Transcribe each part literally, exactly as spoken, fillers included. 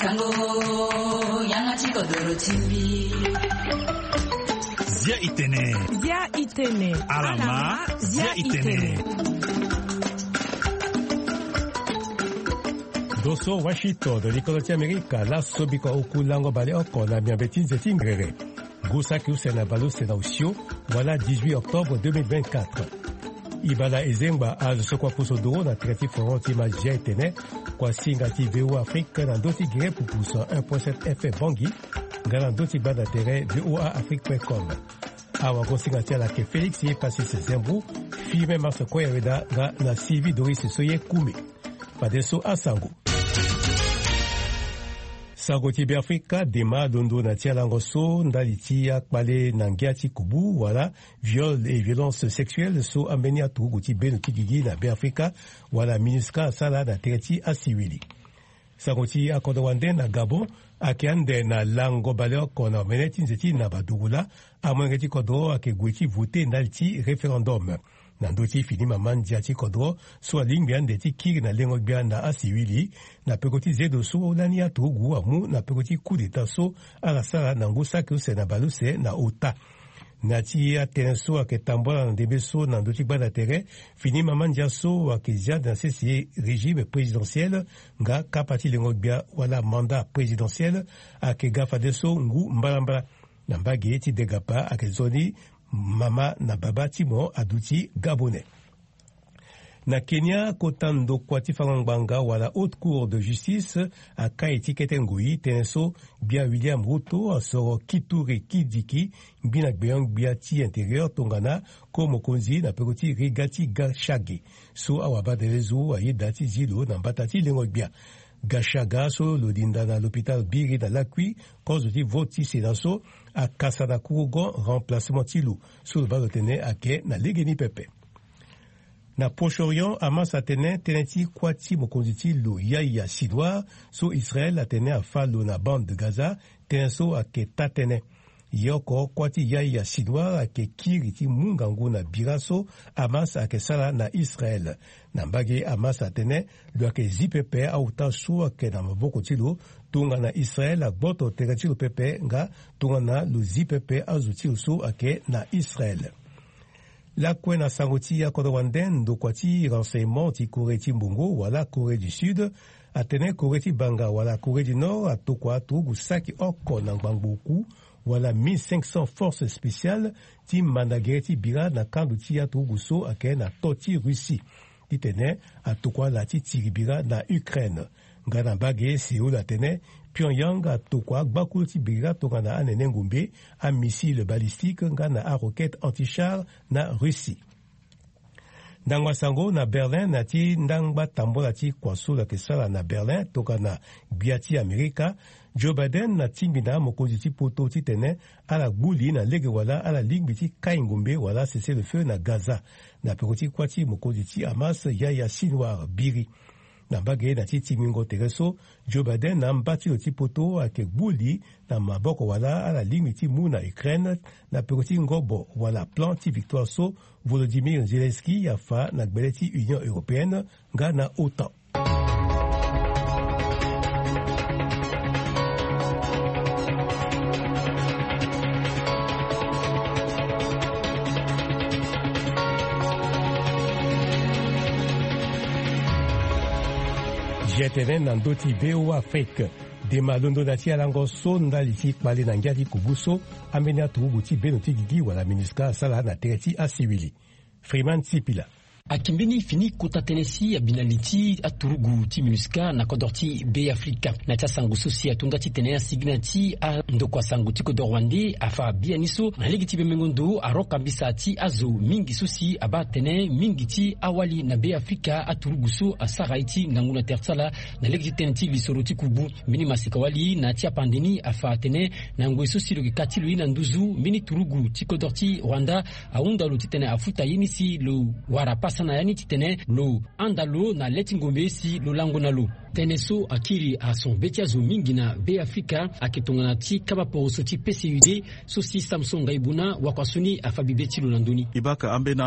Sango, yanga ti kodoro ti mbi. Zia itene. Zia itene. Alama, zia itene. Doso Washington, likolo ti Amerika, laso biko oku lango baleoko na miambe ti nze ti ngrere. Ngu saki use na baleuse na osio, wala dix-huit octobre deux mille vingt-quatre. Ibala ezengba azo so kua puso doro na tere ti foron ti ma zia etene, kua singa ti V O A Afrique na ndö ti gere pupu cent un point sept F M Bangui, nga na ndö ti gbanda tere V O A Afrique point com. Awagosinga ti ala ayeke Félix Yepasis Zembrou, Firmin Mars Koyaweda nga na Sylvie Doris Soye Koumé. Fadeso asango. Sango ti Beafrika, dema londo na ti alango so ndali ti akpale na ngia ti kubu wala viol et violence sexuelle so ambeni aturugu ti beno ti gigi na Beafrika wala MINUSCA asara na tere ti asiwili. Sango ti akodro wande na Gabon ayeke ande na lango baleoko na omene ti nze ti naba duru laa, amolenge ti kodro ayeke gue ti vote ndali ti référendum. Na ndö ti fini mama ndia ti kodro so alingbi ande ti kiri na lengo gbia na asiwili, na peko ti zedo so lani aturugu amu na peko ti coup d'état so ala sara na ngu saki use na baleuse na ota. Na ti atënë so ayeke tambula na ndembe so na ndö ti gbanda tere, fini mama ndia so ayeke zia na sese régime présidentiel nga kapa ti lengo gbia wala mandat présidentiel ayeke ga fadeso ngu mbalambala. Na mbage ti degapa ayeke nzoni mama na baba ti mo aduti Gabonais. Na Kenya, kota ndokua ti fango ngbanga wala Haute Cour de Justice akai ti kete ngoi tënë so gbia William Ruto asoro Kithure Kindiki, ngbina gbenyo-gbia ti intérieur tongana ko mokonzi na peko ti riga ti Gachagua so awabadelezo ayeda ti zi lo na mbata ti lengo gbia. Gachagua so lo linda na l'hôpital Biri na lakui kozo ti vote ti Sénat so akasa na kurugon remplacement ti lo so lo baa lo tene ayeke na legeni pepe. Na Proche-Orient, Hamas atene tënë ti kuâ ti mokonzi ti lo Yahya Sinwar so Israël atene afâ lo na bande de Gaza, tënë so ayeke taa-tënë. Ye oko kuâ ti Yahya Sinwar ayeke kiri ti mu ngangu na bira so Hamas ayeke sara na Israël. Na mbage, Hamas atene lo yeke zi pepe aota so ayeke na maboko ti lo tongana Israël agboto tere ti lo pepe nga tongana lo zi pepe azo ti lo so ayeke na Israël. Lakue na sango ti akodro wande, ndokua ti renseignement ti Corée ti mbongo wala Corée du Sud atene Corée ti banga wala Corée du Nord atokua aturugu saki oko na ngbangbo oku wala mille cinq cents forces spéciales ti manda gere ti bira na kando ti aturugu so ayeke na to ti Russie. Titene atokua ala ti tiri bira na Ukraine. Nga na mbage, Séoul atene Pyongyang atokua agbakulu ti bira tongana anene ngombe, amissile balistique nga na aroquette anti-char na Russie. Ndango ya sango na Berlin, na ti ndangba tambola ti kua so lo yeke sara na Berlin tongana gbia ti Amerika, Joe Biden atingbi na mokonzi ti poto titene ala gbu li na lege wala ala lingbi ti kai ngombe wala cessez-le-feu na Gaza, na peko ti kuâ ti mokonzi ti Hamas Yahya Sinwar Biri. Na mbage na ti tingbingo tere so, Joe Biden na amba ti lo ti poto ayeke gbu li na maboko wala ala lingbi ti mu na Ukraine na peko ti ngobo wala plan ti victoire so Volodymyr Zelensky afa na gbele ti Union Européenne nga na OTAN. G T N na ndö ti V O A Afrique. Dema londo na ti alango so ndali ti kpale na ngia ti kubu so ambeni aturugu ti beno ti gigi wala MINUSCA asara na tere ti asiwili. Freeman Sipila. Ayeke mbeni fini kota tënë si abi na li ti aturugu ti MINUSCA na kodro ti Be Afrika. Na ti asango so si ato nda titene asigi na ti andokua sango ti kodro wande afa biani so na lege ti bembengo ndo aro kambisa ti azo mingi so si abaa atene mingi ti awali na Be Afrika aturugu so asara ye ti ngangu na tere ti ala na lege ti tënë ti lisoro ti kubu. Mbeni maseka wali na ti apande ni afa atene na ngoi so si lo yeke ka ti lo ye na nduzu mbeni turugu ti kodro ti Rwanda ahunda lo titene afuta ye ni si lo wara pasa na ya ni titene lo handa lo na le ti ngombe si lo lango na lo. Tënë so akiri ason be ti azo mingi na Be Afrika ayeke tongana ti kaba poroso ti P C U D so si Samson Ngaibuna wakua so ni afa bibe ti lo na ndö ni. E baka ambeni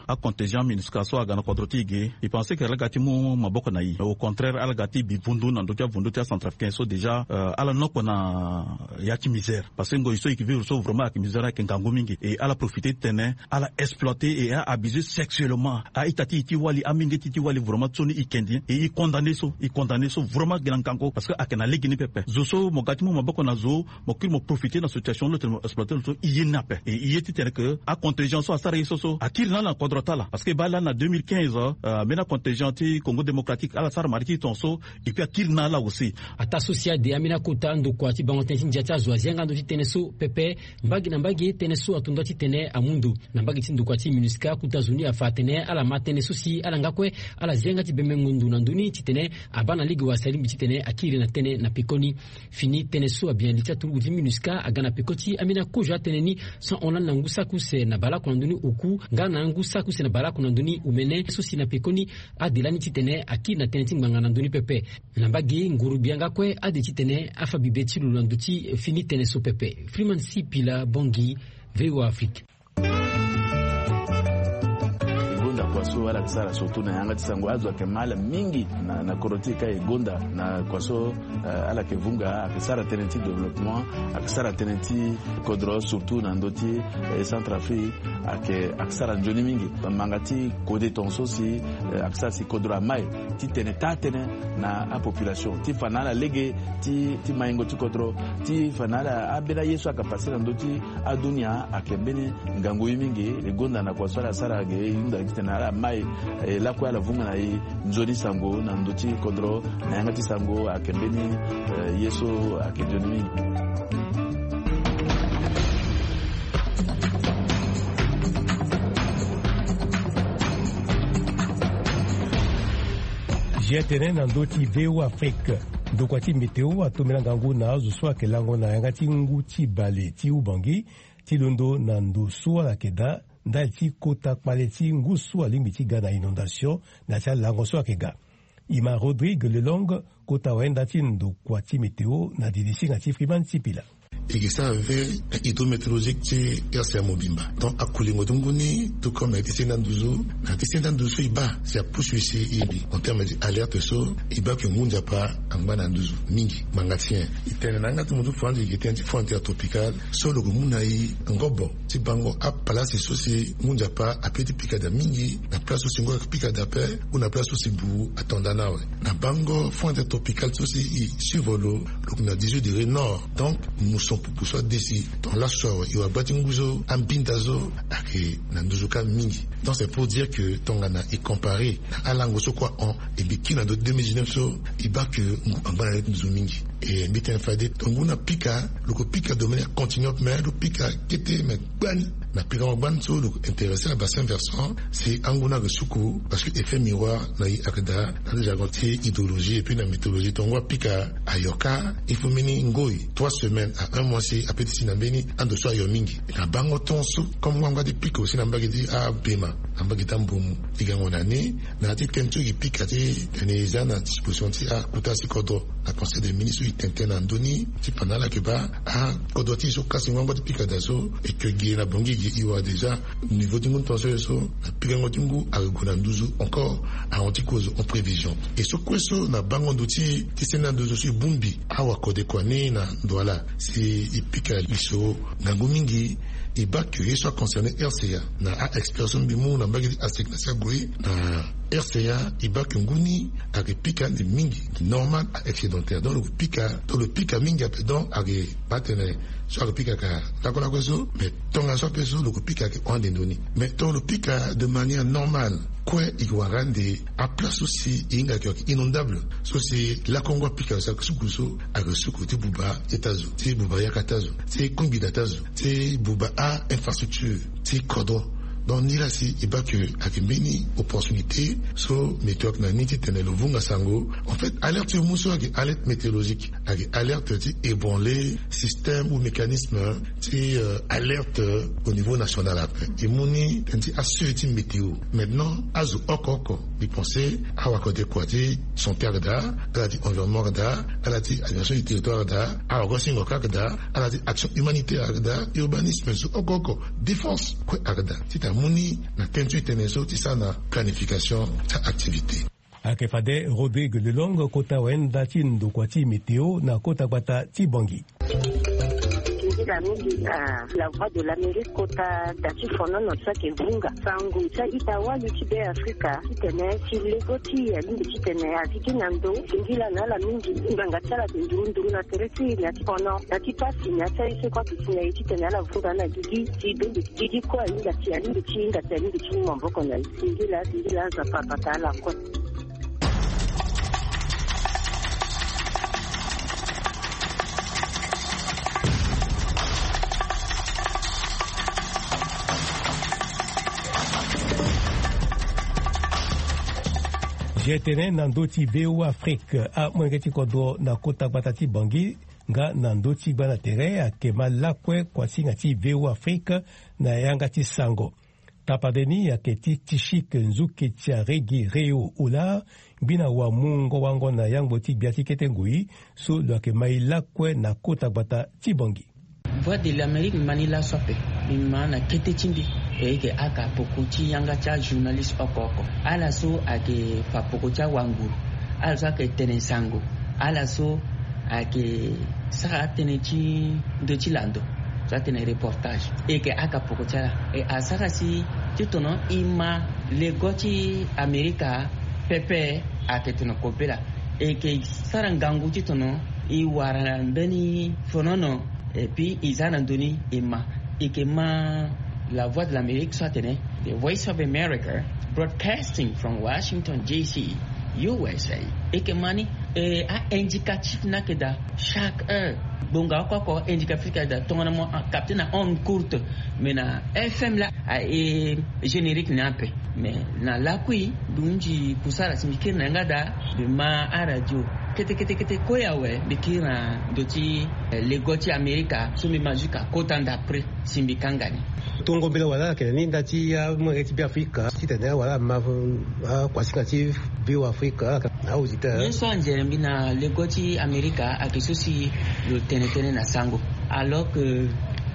acontingent MINUSCA so aga na kodro ti e ge, e pense que ala ga ti mu maboko na e. Au contraire, ala ga ti bi vundu na ndö ti avundu ti acentrafricain so déjà, euh, ala nokpo na ya ti misère. Parce que ngoi so e yeke vivre so vraiment ayeke misère, ayeke ngangu mingi. E ala profiter ti tene ala exploiter et a abuser sexuellement a-ita ti e ti wali, amenge ti e ti wali. Vraiment so ni e kendi, et e condamner so, e condamner so vraiment gi na ngangu, parce que ayeke na lege ni pepe. Zo so mo ga ti mu maboko na zo, mo kiri mo profiter na situation lo tene mo exploiter lo so, e ye ni ape. Et e ye ti tene que acontingent so asara ye so so akiri na ala na kodro ti ala, parce que e baa lani na deux mille quinze, euh, ambeni acontingent ti Congo Démocratique ala sara marie ti tongaso, et puis akiri na ala aussi. Ataa so si ade ambeni akota ndokua ti bango tënë ti ndia ti azo azi yanga ndo ti tënë so pepe. Mbage na mbage, tënë so ato nda titene amu ndo. Na mbage ti ndokua ti MINUSCA, kota zo ni afa atene ala ma tënë so si ala nga kue ala zi yanga ti bembengo ndo na ndö ni titene abaa na lege wala si alingbi titene akiri na tënë na pekoni. Fini tënë so abi na li ti aturugu ti MINUSCA aga na peko ti ambeni akozo atënë ni, so ahon lani na ngu saki use na baleoko na ndö ni oku nga na ngu saki use na baleoko na ndö ni omene, so si na pekoni ade lani titene akiri na tënë ti ngbanga na ndö ni pepe. Na mbage, nguru bia nga kue ade titene afa bibe ti lo na ndö ti fini tënë so pepe. Freeman Sipila Bongi, V O A Afrique. E gonda kua so ala yeke sara surtout na yanga ti sango. Azo ayeke ma ala mingi na, na kodro ti e ka e gonda na kua so, eh, ala yeke vunga, ayeke sara tënë ti développement, ayeke sara tënë ti kodro surtout na ndö ti, eh, Centrafrique, ayeke, ayeke sara nzoni mingi. Manga ti kode tongaso si, eh, ayeke sara si kodro amai titene taa tënë na apopulation ti fa na ala lege ti, ti maingo ti kodro, ti fa na ala ambeni aye so ayeke pase na ndö ti adunia ayeke mbeni ngangu ye mingi. E gonda na kua so ala sara ge, e hunda titene ala mai, eh, lakue ala vunga na e nzoni sango na ndö ti kodro, na yanga ti sango ayeke mbeni, eh, ye so ayeke nzoni mingi. Zia tënë na ndö ti V O A Afrique. Ndokua ti météo atombela ngangu na azo so ayeke lango na yanga ti ngu ti bale ti Ubangi ti londo na ndo so ala yeke daa ndali ti kota kpale ti ngu so alingbi ti ga na inondation na ya ti alango so ayeke ga. E ma Rodrigue Lelong, kota wayenda ti ndokua ti météo na didi singa ti Freeman Sipila. E yeke sara veille hydrométéorologique ti R C A mobimba. Donc akulingo ti ngu ni, tout comme ayeke ti senda nduzu, na yeke ti senda nduzu so e baa si apusu e si e bi en terme ti alerte so, e baa ke ngu nzapa angba na nduzu mingi. Ngbanga ti nyen? E tene na yanga ti mo ti franzi e yeke tënë ti front intertropicale so lo yeke mu na e ngobo ti bango apalasi so si ngu nzapa ape ti pika daa mingi, na place so si ngu ayeke pika daa ape, ou na place so si buru ato ndaa ni awe. Na bango front intertropicale so si e suivre lo, lo yeke na dix-huit degré nord. Donc muson pupu so ade si, donc laso awe e wa gba ti ngu so, ambinda so ayeke na nduzu kâ mingi. Donc c'est pour dire que tongana e comparer na alango so kue ahon, e mbi kiri na ndö ti deux mille dix-neuf so, e baa ke ngu angba na ya ti nduzu mingi. E mbi tene fade, donc ngu ni apika, lo ko pika de manière continue, mais lo pika kete, mais gbani. Na pikango gbani so lo intéressé na bassin versant, si angu ni ayeke suku, parce que effet miroir na e ayeke daa na ti jargon ti hydrologie et puis na météorologie. Tonga ngu apika ayo kâ, il faut mbeni ngoi trois semaines à un mois si ape ti si na mbeni ando so ayo mingi. Na bango ton so, comme ngu angba ti pika aussi na mbage ti abema, na mbage ti ambomu, e gango na ni, na ya ti tënë so e pika ti tene e za na disposition ti akota si kodro. Na conseil des ministres so e tene tënë na ndö ni ti fa na ala yeke baa akodro ti e so kasi ngu angba ti pika daa so, e ke gi na Bangui gi e wara déjà niveau ti ngu tension ye so, na pikango ti ngu ayeke gue na nduzu encore, ahon ti kozo en prévision. E so kue so na bango ndo ti, ti senda nduzu so e bongbi awa kode kua ni na ndo ala si e pika li so ngangu mingi. E baa ke ye so aconcerné R C A na a-expert so mbi mu na mbage ti Afrique na si ague na R C A, e baa ke ngu ni ayeke pika ande mingi, normal a-excédentaire. Donc lo pika, donc lo pika mingi ape, donc ayeke baa tene so ayeke pika ka lakue lakue so, mais tongaso ape so lo yeke pika ayeke hon ande ndo ni. Mais tongana lo pika de manière normale, kue e yeke wara ande aplace so si e hinga ayeke inondable, so si lakongo apika so ayeke suku so, ayeke suku ti buba ita zo, ti buba yakata zo, ti kungbi data zo, ti buba a-infrastructure ti kodro. Donc ni la si e baa ke ayeke mbeni opportunité so météo ayeke na ni titene lo vunga sango. En fait, alerte ti e mu so ayeke alerte météorologique, ayeke alerte ti ébranler système ou mécanisme ti alerte au niveau national. Ape e mu ni tënë ti asuivi ti météo. Maintenant azo oko oko, mbi pense awakode kua ti santé ayeke daa, ala ti environnement ayeke daa, ala ti administration du territoire ayeke daa, awagosingo kâ ayeke daa, ala ti action humanitaire ayeke daa, urbanisme so oko oko, défense kue ayeke daa titene amu ni na tënë ti e tënë so ti sara na planification ti activité. Ayeke fade Rodrigue Lelong, kota wayenda ti ndokua ti météo na kota gbata ti Bangui. Singila mingi na La Voix de l'Amérique kota da ti fonono so ayeke vunga sango ti a-ita wali ti Be Afrika titene si lego ti e alingbi titene azi gi na ndo. Singila na ala mingi, ngbanga ti ala ayeke nduru nduru na tere ti e na ti fono na ti pasi na ya ti aye so e kue ayeke si na e titene ala vunga na gigi si bende gigi kue ahinga si alingbi ti hinga si alingbi ti mu maboko na e. Singila, singila, Nzapa abata ala kue. G T N na ndö ti V O A Afrique, amolenge ti kodro na kota gbata ti Bangui nga na ndö ti gba na tere ayeke ma lakue kuasinga ti V O A Afrique na yanga ti sango. Tapade ni ayeke ti Tishik Nzuke Tiaregi Reo Ola, ngbina wamungo wango na yangbo ti gbia ti kete ngoi so lo yeke ma e lakue na kota gbata ti Bangui. Voix de l'Amérique, mbi ma ni laso ape. Mbi ma na kete ti mbi. E yeke aka poko ti yanga ti ajournaliste oko oko, ala so ayeke fa poko ti awanguru, ala so ayeke tene sango, ala so ayeke sara atënë ti ndö ti lando, so atene reportage. E yeke aka poko ti ala. E asara si titene e ma lego ti Amerika pepe ayeke tene kobela. E yeke sara ngangu titene e wara mbeni fonono, et puis e za na ndö ni e ma. E yeke ma La Voix de l'Amérique so atene, The Voice of America, broadcasting from Washington, D C, U S A. E yeke ma ni, e a-indicatif ni ayeke daa chaque heure. Ngbonga oko oko indicatif ayeke daa, tongana mo capter na onde courte, mais na F M laa aye générique ni ape. Mais na lakui mbi hunzi kusala si mbi kiri na yanga daa, mbi ma aradio kete kete kete kue awe, mbi kiri na ndö ti lego ti Amerika so mbi ma jusqu'à kota ndapre si mbi kanga ni. Tongo mbela wala ayeke na ni nda ti amolenge ti Be Afrika titene awala ama akuasinga ti V O A Afrika. Auditeur, ye so anzere mbi na lego ti Amerika ayeke so si lo tene tënë na sango, alors que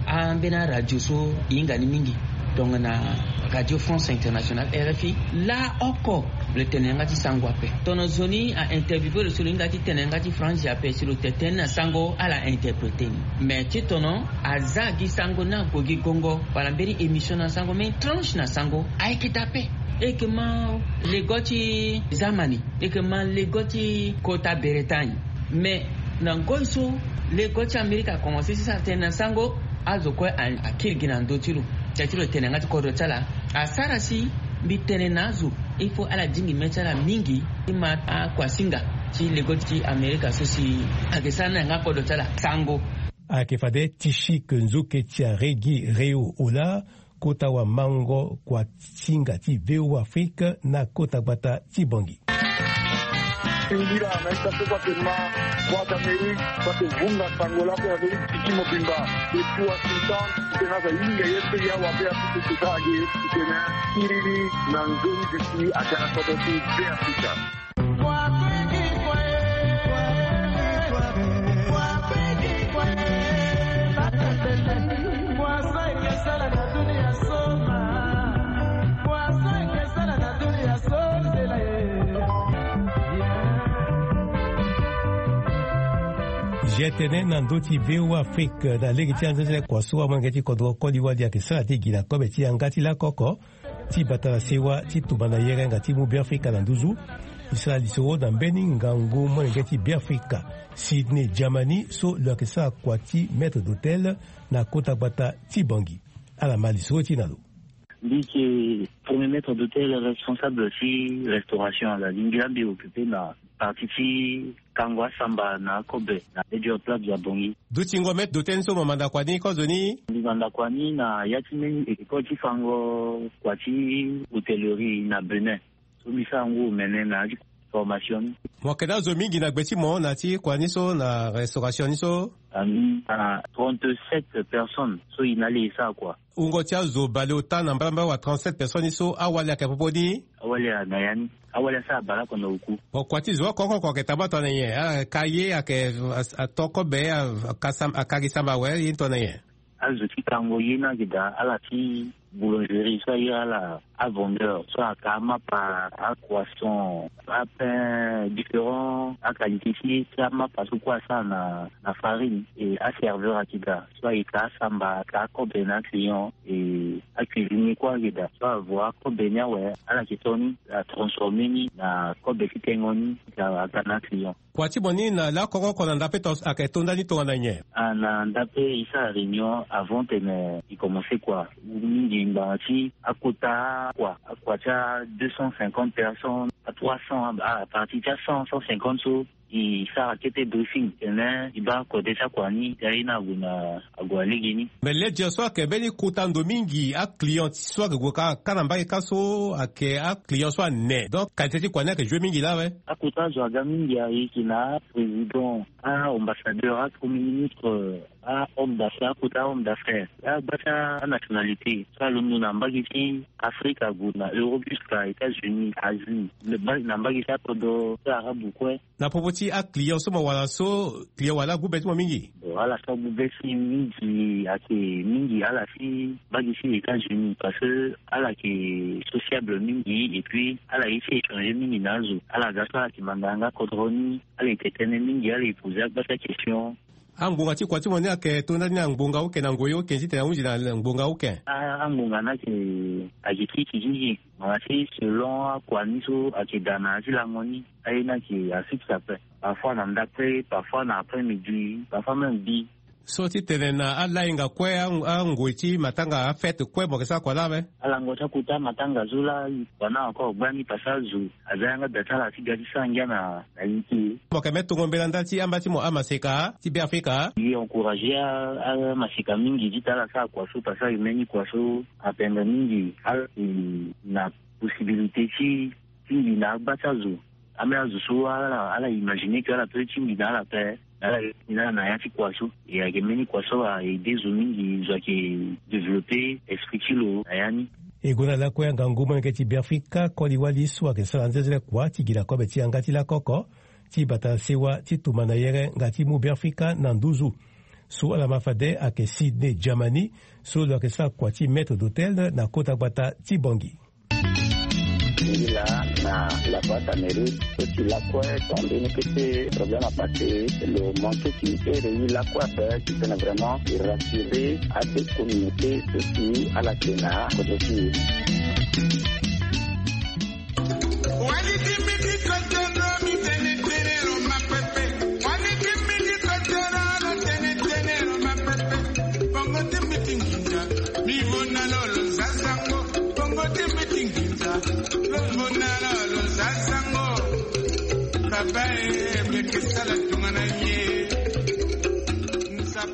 ambeni aradio so e hinga ni mingi, tongana Radio France Internationale, R F I, laoko lo tene yanga ti sango ape. Tongana zo ni a interviewe lo so lo hinga ti tene yanga ti franzi ape, si lo tene tënë na sango ala interprete ni. Mais titene aza gi sango ni ague gi gongo wala mbeni émission na sango, mbeni tranche na sango, ayeke daa ape. E yeke ma lego ti zamani, e yeke ma lego ti kota Bretagne. Mais na ngoi so lego ti Amerika akomanse ti sara tënë na sango, azo kue akiri gi na ndö ti lo, tia ti lo tene yanga ti kodro ti ala. Asara si mbi tene na azo, il faut ala dingi mê ti ala mingi ti ma akuasinga ti lego ti Amerika so si ayeke sara na yanga kodro ti ala sango. Ayeke fade Tishik Nzuke Tiaregi Reo Ola, kota wamango kuasinga ti V O A Afrique na kota gbata ti Bangui. Singila na ita so kue ayeke ma Voix d'Amérique, so ayeke vunga sango lakue na ndö ti tiki mobimba. Depuis Washington, titene aza hinga ye so e awa be ape so si ka age titene kiri ni na nzoni duti aga na kodro ti Be Afrika. G T N na ndö ti V O A Afrique na lege ti anzeze kua so amolenge ti kodro koli wali ayeke sara ti gi na kobe ti yanga ti lakoko. Ti bata na sewa ti tumba na yerenga ti mu Beafrika na nduzu. E sara lisoro na mbeni ngangu molenge ti Beafrika, Sydney Germany, so lo yeke sara kua ti maître d'hôtel na kota gbata ti Bangui. Ala ma lisoro ti e na lo. Mbi yeke premier maître d'hôtel responsable ti restauration, ala lingbi la mbi occupe na Parti ti kango asamba na akobe na Ledger Plaza Bangui. Dutingo maître d'hôtel ni so mo manda kua ni kozoni? Mbi manda kua ni na ya ti mbeni école ti fango kua ti hôtellerie na Bénin. So mbi sara ngu omene na ya ti formation ni. Mo yeke na azo mingi na gbe ti mo na ya ti kua ni so na restauration ni so? Ami na trente-sept personnes so e na le e sara kua. Wungo ti azo baleota na mbalambala wa trente-sept personnes ni so awali ayeke popo ni? Awali a na ya ni. Awali asara baleoko na oku. Bon, kua ti zo oko oko oko ayeke tambula tongana nyen? Ala ka ye ayeke, a, a, to kobe, a, a ka sam-, a ka gi samba awe, ye ni tongana nyen? Azo ti kango ye ni ayeke daa, ala ti boulangerie so aye ala avendeur so aka amapa, acroissant, apain, différent aqualité ti, ti amapa so kue asara na, na farine. E aserveur ayeke daa so ayeke asamba, aka akobe na aclient. E acuisinier kue ayeke daa so avo akobe ni awe, ala yeke to ni, atransformer ni na kobe ti tengo ni, aka, aka na aclient. Kua ti mo ni na lakoko oko na ndape to ayeke to ndani tongana nyen? Ah, na ndape e sara réunion avant tene e commencer kua. Mingi ngbanga ti akota kua, akua ti a deux cent cinquante personnes, a trois cents, à partir ti a cent, cent cinquante so e sara kete briefing tene e baa kode ti akua ni, e aye ni ague na ague na lege ni. Mais Ledger so ayeke mbeni kota ndo mingi, aclient so ayeke gue ka, ka na mbage kâ so ayeke aclient so ane. Donc qualité ti kua ni ayeke joue mingi laa awe. Akota zo aga mingi, ayeke na aprésident, aambassadeur, apremier ministre, ahomme d'affaires, akota homme d'affaires, agba ti anationalité so alondo na mbage ti Afrique ague na Europe jusqu'à États-Unis, Asie, na mbage ti akodro ti Arabe kue. Na popo ti aclient so mo wara so, client wala agbu be ti mo mingi? Bon, ala so agbu be ti mingi ayeke mingi ala ti mbage ti États-Unis, parce que ala yeke sociable mingi et puis ala ye ti échanger mingi na azo. Ala ga so ala yeke manda yanga kodro ni, ala yeke tene mingi, ala yeke poser agba ti akestion. Angbonga ti kua ti mo ni ayeke to ndani na ngbonga uke na ngoi uke titene ahunzi na ngbonga uke? A, angbonga ni ayeke, ayeke ti kiziki. Ngbanga ti selon akua ni so ayeke daa na ya ti lango ni, aye ni ayeke afixe ape. Parfois na ndakre, parfois na après midi, parfois même bi. So titene na alayenga kue, a, angoi ti matanga, afête kue, mo yeke sara kua laa ape? Alango ti akota matanga so laa, kua ni encore gbani parce que azo aza yanga da ti ala ti ga ti sara ngia na, na ye ti e. Mo yeke me tongo mbela ndali ti amba ti mo amaseka ti Beafrika? E encourager a, amaseka mingi titene ala sara kua so parce que e mbeni kua so apendre mingi. Ala, e, na possibilité ti tingbi na agba ti azo. Ambeni azo so ala, ala imaginer que ala peut tingbi na ala ape, na ala, na ala na ya ti kua so. E ayeke mbeni kua so a aider zo mingi, zo ayeke développer esprit ti lo na ya ni. E gue na lakue angangu molenge ti Beafrika, koli wali so ayeke sara nzenzele kua ti gi na kobe ti yanga ti lakoko, ti bata sewa ti tumba na yere nga ti mu Beafrika na nduzu. So ala ma fade ayeke Sydney Germany, so lo yeke sara kua ti maître d'hôtel na kota gbata ti Bangui. Ngi laa na la boîte à mérite, so ti lakue, ton mbeni kete problème apassé, lo manqué ti ere ye lakue ape, titene vraiment e rassurer adekommunauté so si ala yeke na kodro ti e.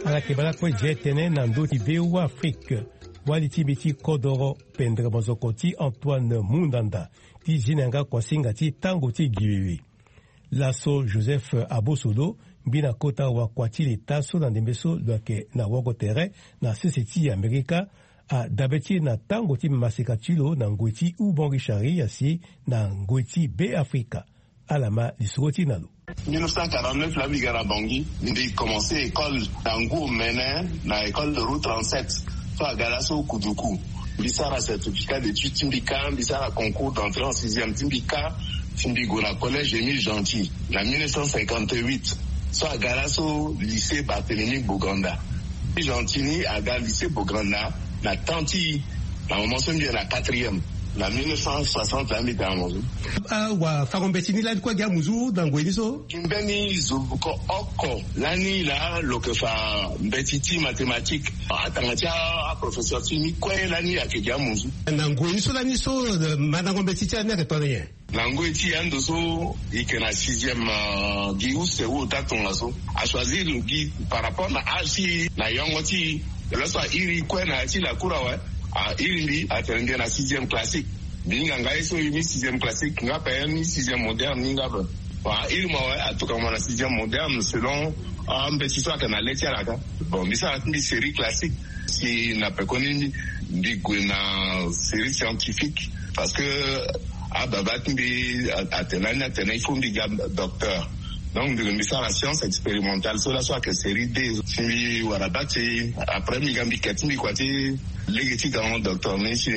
Ala yeke baa lakue je tënë na ndö ti V O A Afrique. Wali ti mbi ti kodoro, pendere mozoko ti Antoine Mundanda, ti zi na yanga kuasinga ti tango ti gi wewe. Laso Joseph Abosolo, mbi na kota wakua ti leta so na ndembe so lo yeke na woko tere na sese ti Amerika, adabe ti e na tango ti maseka ti lo na ngoi ti Houban Richard, asi na ngoi ti Beafrika. Ala ma lisoro ti e na lo. Mille neuf cent quarante-neuf laa mbi ga na Bangui, mbi commencé école na ngu omene na école de route trente-sept. So aga laso Kuduku. Mbi sara certificat d'études ti mbi kâ, mbi sara concours d'entrée en sixième ti mbi kâ, ti mbi gue na collège Émile Gentil na mille neuf cent cinquante-huit. So aga laso lycée Barthélemy Boganda. Émile Gentil ni aga lycée Boganda na temps ti, na moment so mbi yeke na quatrième. Na mille neuf cent soixante laa mbi ga na Bangui. Ah, wa fango mbeti ni lani kue gi amuzu na ngoi ni so? Gi mbeni zo buko oko lani laa lo yeke fa mbeti ti mathématique. Atanga ti a, aprofesseur ti ni kue lani ayeke gi amuzu. Na ngoi ni so lani so, eh, mandango mbeti ti ala ni ayeke tongana nyen? Na ngoi ti e ando so e yeke na sixième gi use ou ota tongaso, a choisir gi par rapport na age ti e na yongo ti e. Laso a iri kue na ya ti lakour awe, a iri mbi atene mbi na sixième classique. Mbi hinga nga ye so e ni sixième classique nga pe ni sixième moderne ni nga pe. Bon, a iri mo awe, a tokua mo na sixième moderne selon ambeti so ayeke na le ti ala ka. Bon, mbi sara ti mbi série classique. Si na pekoni mbi gue na série scientifique, parce que ababa ti mbi atene ani atene il faut mbi ga docteur. Donc mbi sara science expérimentale so laso ayeke série deux. Si mbi wara bati, après mbi ga mbi ke ti mbi kua ti lege ti ga docteur ni si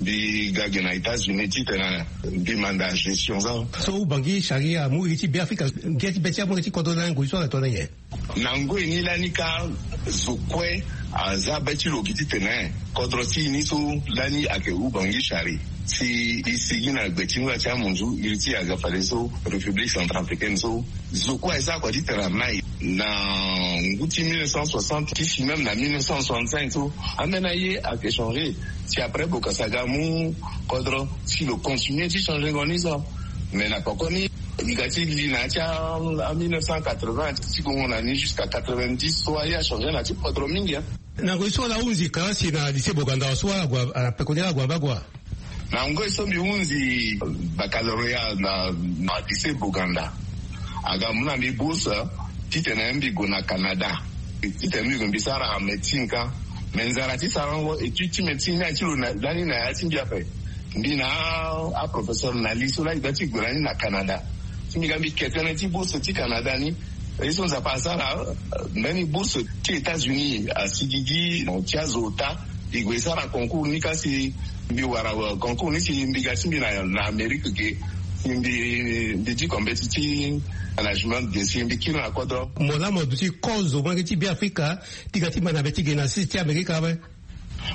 mbi ga gi na États-Unis titene mbi manda gestion so. So ou bangi charia amu iri ti be afrika ngia ti be ti amu iri ti kodro na ngoi so ala tongana nyen? Na ngoi ni lani ka zo kue aza be ti lo gi titene kodro ti e ni so lani ayeke hu bangi chari. Si e sigi na gbe ti ngoi ti amunzu iri ti aga fade so République centrafricaine so zo kue aye sara kua titene amai. Na ngu ti mille neuf cent soixante ti si même na mille neuf cent soixante-cinq so ambeni aye ayeke changer. Si après bokasa ga amu kodro si lo continue ti changer ngo ni so. Mais na poko ni e ga ti li na ya ti a mille neuf cent quatre-vingts ti gongo na ni jusqu'à quatre-vingt-dix so aye achanger na ti kodro mingi. Na ngoi so ala hunzi kalasi na lycée Boganda so ala gue na pekoni ala gue abagua. Na ngoi so mbi hunzi baccalauréat na lycée Boganda, aga mu na mbi bourse titene mbi gue na Canada titene mbi gue mbi sara médecine ka. Mais nzara ti sarango étude ti médecine ni aye ti lo lani na ya ti mbi ape. Mbi na aprofesseur na li so lani ga ti gue lani na Canada. Ti mbi ga mbi ke tënë ti bourse ti Canada ni. Ye so nzapa asara mbeni bourse ti États-Unis asigigi ti azo ota. E gue e sara concours ni kasi mbi wara concours ni si mbi ga ti mbi na Amérique ge. Si mbi diko mbeti ti management ge si mbi kiri na kodro. Mo laa mo duti kozo molenge ti Beafrika ti ga ti ma na be ti ge na sese ti Amerika ape.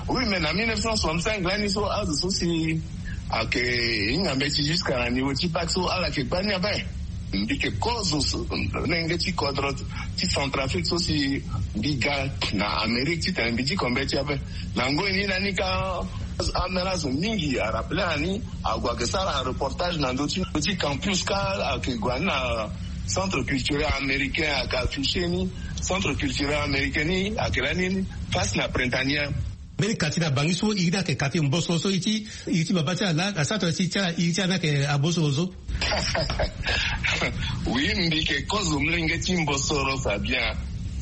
Oui, mais na mille neuf cent soixante-cinq lani so azo so si ayeke hinga mbeti jusqu'à na niveau ti bac so ala yeke gbani ape. Mbi yeke kozo so molenge ti kodro ti Centrafrique so si mbi ga na Amérique titene mbi diko mbeti ape. Na ngoi ni lani ka ambeni azo mingi arappele na ni ague ayeke sara reportage na ndö ti campus ka ayeke gue na centre culturel américain ayeke afficher ni. Centre culturel américain ni ayeke lani face na Printanier. Mbeni kati na bangi so iri ni ayeke kati mbosoro so iri ti iri ti baba ti ala na centre ti ala iri ti ala ni ayeke abosoro so. Oui, mbi yeke kozo molenge ti mbosoro Fabien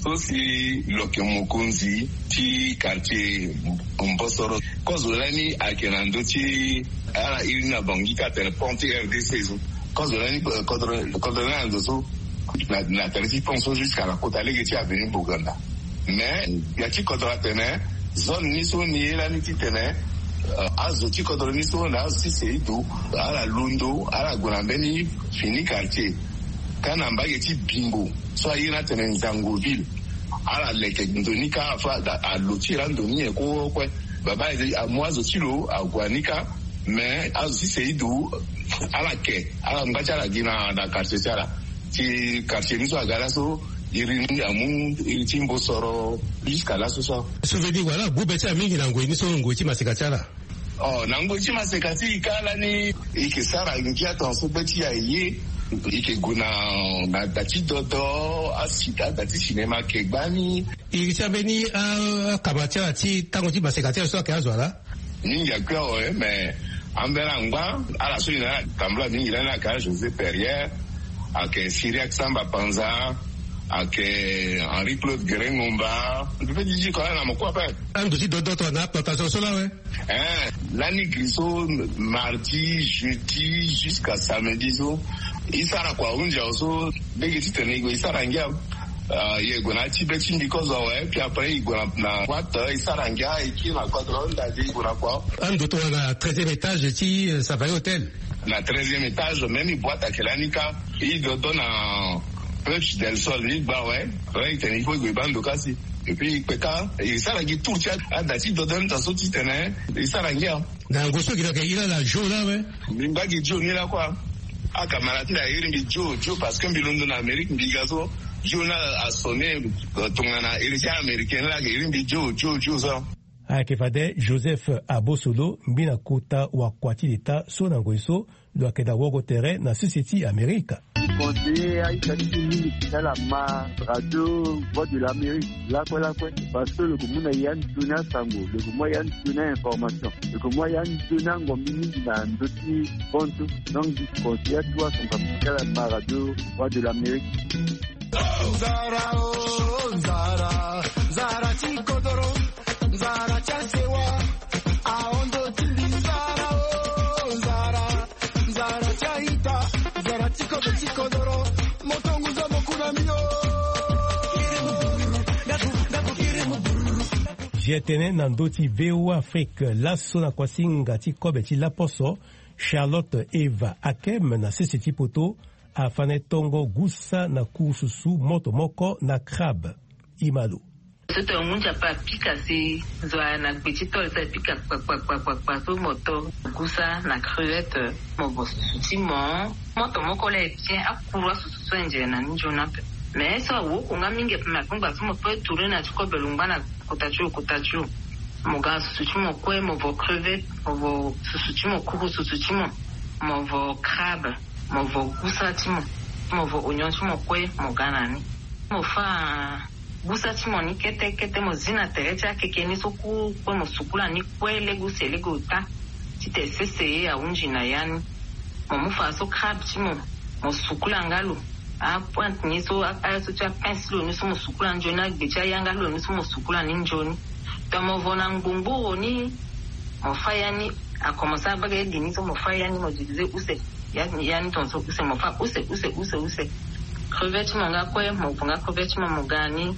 so si lo yeke mokonzi ti quartier mbosoro. Kozo lani ayeke na ndö ti ala iri ni na bangi ka atene pont ti R D C so. Kozo lani kodro lani na ndo so na tere ti pont so jusqu'à na kota lege ti avenue Boganda. Mais ya ti kodro atene zone ni so ni ye lani titene azo ti kodro ni so na azo ti seido ala londo ala gue na mbeni fini quartier. Ka na mbage ti Bimbo so aye ni atene Nzangoville. Ala leke ndo ni ka afa alo ti iri ando ni nyen kue kue. Baba amu azo ti lo ague ni ka. Mais azo ti seido ala ke ala ngba ti ala gi na quartier ti ala. Ti quartier ni so aga laso iri ni amu iri ti mbosoro jusqu'à laso so. Souvenir wala agu be ti ala mingi na ngoi ni so ngoi ti maseka ti ala. Oh, na ngoi ti maseka ti e ka lani e yeke sara ngia tongaso be ti e aye. E yeke gue na da ti dodo asi ada ti cinéma ayeke gbani. Iri ti ambeni akama ti ala ti tango ti maseka ti ala so ayeke azo ala. Mingi akui awe mais ambeni angba ala so e na ala tambula mingi lani ayeke a José Perrier, ayeke Cyriaque Samba Panza, ayeke Henri Claude Guérin Ngomba. Mbi pe ti diko ala na mo kue ape. Ando ti dodo tongana aplantation so lawe. Eh, lani gri so mardi, jeudi jusqu'à samedi so e sara kua ahunzi awe so lege titene e gue e sara ngia. Ah, e gue na ya ti be ti mbi kozo awe puis après e gue na boite e sara ngia e kiri na kodro nda de e gue na kua. Ando tongana treizième étage ti Safari Hotel. Na treizième étage même boite ayeke lani ka. E dodo na Puerta del Sol ni gba awe. Après e tene il faut e gue e baa ndo kasi. Et puis e kpe ka e sara gi tour ti ada ti dodo ni ta so titene e sara ngia. Na yango so gi na yeke iri ala Joe laa awe. Mbi ngba gi Joe ni lakue. Akamarade ti mbi airi mbi Joe Joe parce que mbi londo na Amérique mbi ga so Joe ni asonne. Tongana iri ti américain ni laa ayeke iri mbi Joe Joe Joe so. Ayeke fade Joseph Abosolo, ngbi na kota wakua ti leta so na ngoi so lo yeke daa woko tere na sese ti Amerika. Conseiller aita ti mingi ti tala ma radio Voix de l'Amérique lakue lakue, parce que lo yeke mu na ya nzoni asango, lo yeke mu ya nzoni a-information, lo yeke mu ya nzoni angombi mingi na ndö ti bantu. Donc conseiller atu asonga ti tala ma radio Voix de l'Amérique. Nzara o nzara, nzara ti kodoro, nzara ti asewa, aondo ti mbi. Nzara o nzara, nzara ti aita, nzara ti kobe ti kodoro, moto ngu zo mo ku na mbi o. Zia tënë na ndö ti V O A Afrique laso na kuasinga ti kobe ti laposo, Charlotte Eva Akem na sese ti poto afa na e tongo gusa na kurususu moto moko na crabe. Imalo. Soto ya ngunza pa pika si zo a na gbe ti tol sa pika kpakpakpakpakpa so mo to gusa na crevette, mo vo susu ti mo. Moto moko la e bien akuru asusu so e nzere na ni nzoni ape. Mais so awoko nga mingi ape, mais akungba so mo pe tourner na ti kobe lo ngba na kota ti lo kota ti lo. Mo ga susu ti mo kue, mo vo crevette, mo vo susu ti mo kuru susu ti mo. Mo vo crabe, mo vo gusa ti mo, mo vo oignon ti mo kue mo ga na ni. Mo fa gusa ti mo ni kete kete, mo zi na tere ti akeke ni so ku kue, mo sukula ni kue lege use lege ota. Tite sese ye ahunzi na ya ni. Mo mu fa so crabe ti mo, mo sukula nga lo. Apointe ni so aye so ti apince ti lo ni so mo sukula nzoni, agbe ti aya nga lo ni so mo sukula ni nzoni. Donc mo vo na ngbongboro ni, mo fa ya ni. Akomense abage edi ni so mo fa ya ni, mo divize use. Ya ni tonso use, mo fa use use use use. Crevette ti mo nga kue, mo vo nga crevette ti mo mo ga ni.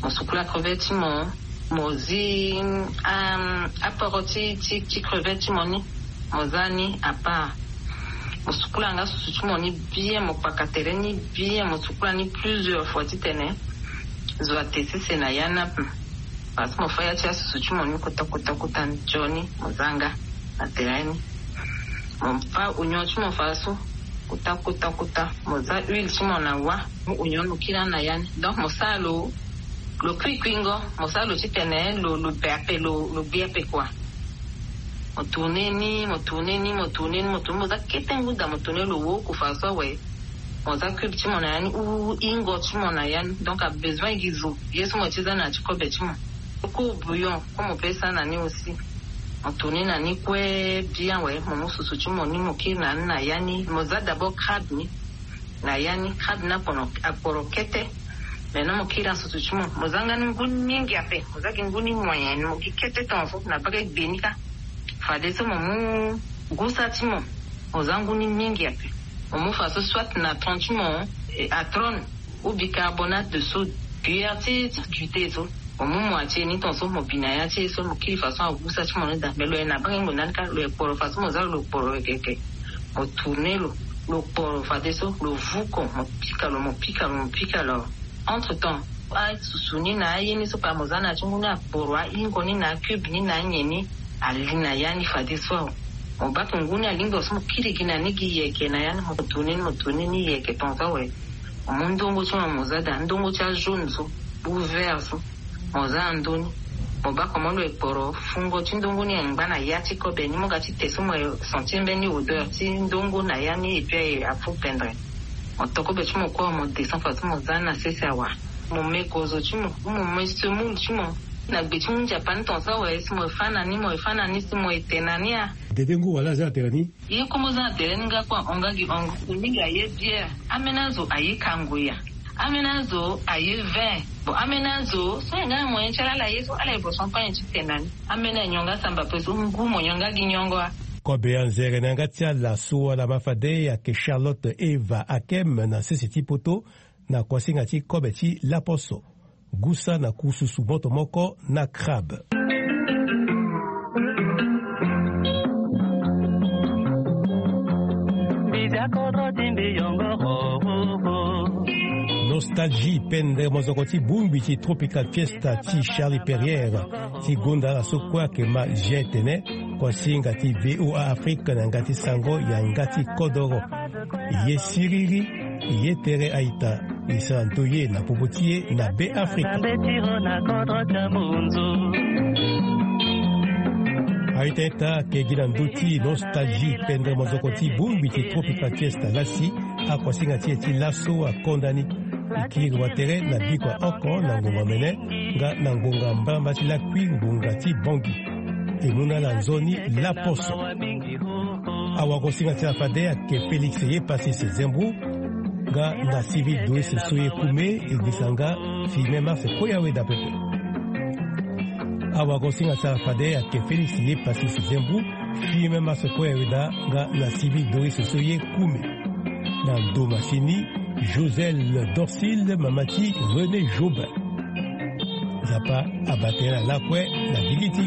Mo sukula crevette ti mo, mo zi aporo ti ti ti crevette ti mo ni, mo za ni apart. Mo sukula nga susu ti mo ni bien, mo kpaka tere ni bien, mo sukula ni plusieurs fois titene zo ate sese na ya ni ape. Parce que mo fa ya ti asusu ti mo ni kota kota kota nzoni, mo za nga na tere ni. Mo fa oignon ti mo fa so kota kota kota, mo za huile ti mo na wa, mo oignon mo kiri na ya ni. Donc mo sara lo lo kuikuingo, mo sara lo titene lo lo be ape, lo lo gbi ape kua. Mo tourner ni, mo tourner ni, mo tourner ni, mo tourner, mo za kete ngu daa mo tourner lo woko fa so awe. Mo za cube ti mo na ya ni, u ingo ti mo na ya ni. Donc abesoin gi zo ye so mo ti za na ya ti kobe ti mo. Ku bouillon ku mo pe sa na ni aussi. Mo tourner na ni kue bien awe, mo mu susu ti mo ni mo kiri na ni na ya ni. Mo za d'abord crabe ni na ya ni, crabe ni akporo akporo kete. Maintenant mo kiri asusu ti mo, mo za nga ni ngu ni mingi ape, mo za gi ngu ni moyen, mo gi kete tonso na bage gbe ni kâ. Fadeso mo mu gusa ti mo, mo za ngu ni mingi ape. Mo mu fa so soit na tronc ti mo, eh, atrone ou bicarbonate de soude, cuillère ti ti juté so. Mo mu moitié ni tonso mo bi na ya ti e so, mo kiri fa so agusa ti mo ni daa. Mais lo ye na bage ngbonda ni kâ, lo ye kporo fa so mo za lo kporo yeke yeke. Mo tourner lo, lo kporo fadeso lo vuko, mo pika lo, mo pika lo, mo pika lo. Entre temps asusu ni na aye ni so pa mo za na ya ti ngu ni akporo, aingo ni na acube ni na anyen ni ali na ya ni fadeso awe. Mo bake ngu ni alingbi so mo kiri gi na ni gi yeke na ya ni, mo tourner ni, mo tourner ni yeke tonso awe. Mo mu ndongo ti mo mo za daa, ndongo ti ajaune so ou vert so. Mo za na ndö ni. Mo baa comment lo ye kporo, fungo ti ndongo ni engba na ya ti kobe ni, mo ga ti te so mo ye sentir mbeni odeur ti ndongo na ya ni, et puis aye afu pendre. Mo to kobe ti mo kue, mo descend fa so mo za ni na sese awa. Mo me gozo ti mo, mo me semoule ti mo. Na gbe ti hunzi apa ni tonso awe, si mo ye fâ na ni, mo ye fâ na ni, si mo ye te na ni a. Dede ngu wala aza na tere ni. Ye kue mo za na tere ni nga kue ahon nga gi hongo. Mingi aye bière. Ambeni azo aye kango ya. Ambeni azo aye vin. Bon, ambeni azo so aye nga na moyen ti ala ala ye so ala ye vo champagne ti te na ni. Ambeni anyon nga samba pe so ngu mo nyon nga gi nyongo a. Kobe anzere na yanga ti ala so ala ma fade ayeke Charlotte Eva Akem na sese ti poto, na kuasinga ti kobe ti laposo. Gusa na kususu moto moko na crabe. Nostalgie, pendre mozoko ti bongbi ti Tropical Fiesta ti Charlie Perrier, ti gonda ala so kue ayeke ma Jean Tene. Kuasinga ti V O A Afrique na yanga ti sango yanga ti kodoro. Ye siriri, ye tere aita, e sara ndoye na popo ti e na Be Afrika. Aita ita ake gi na ndö ti nostalgie pendere mozoko ti bongbi ti tropical fiesta lasi. Akuasinga ti e ti laso akonda ni. E kiri watere na biko ya oko na ngonga mene nga na ngonga mbalamba ti lakui ngonga ti bongi. E mu na ala nzoni laposo. Awagosinga ti ala fade ake Félix Yepassis Zembou nga na civil Doris Soye Koume. E gbisa nga fime mars koya weda pepe. Awagosinga ti ala fade ake Félix Yepassis Zembou fime mars koya weda nga na civil Doris Soye Koume. Na ndo masini Joselle Dorcil mama ti René Jobin. Nzapa abate na lakue na gigi ti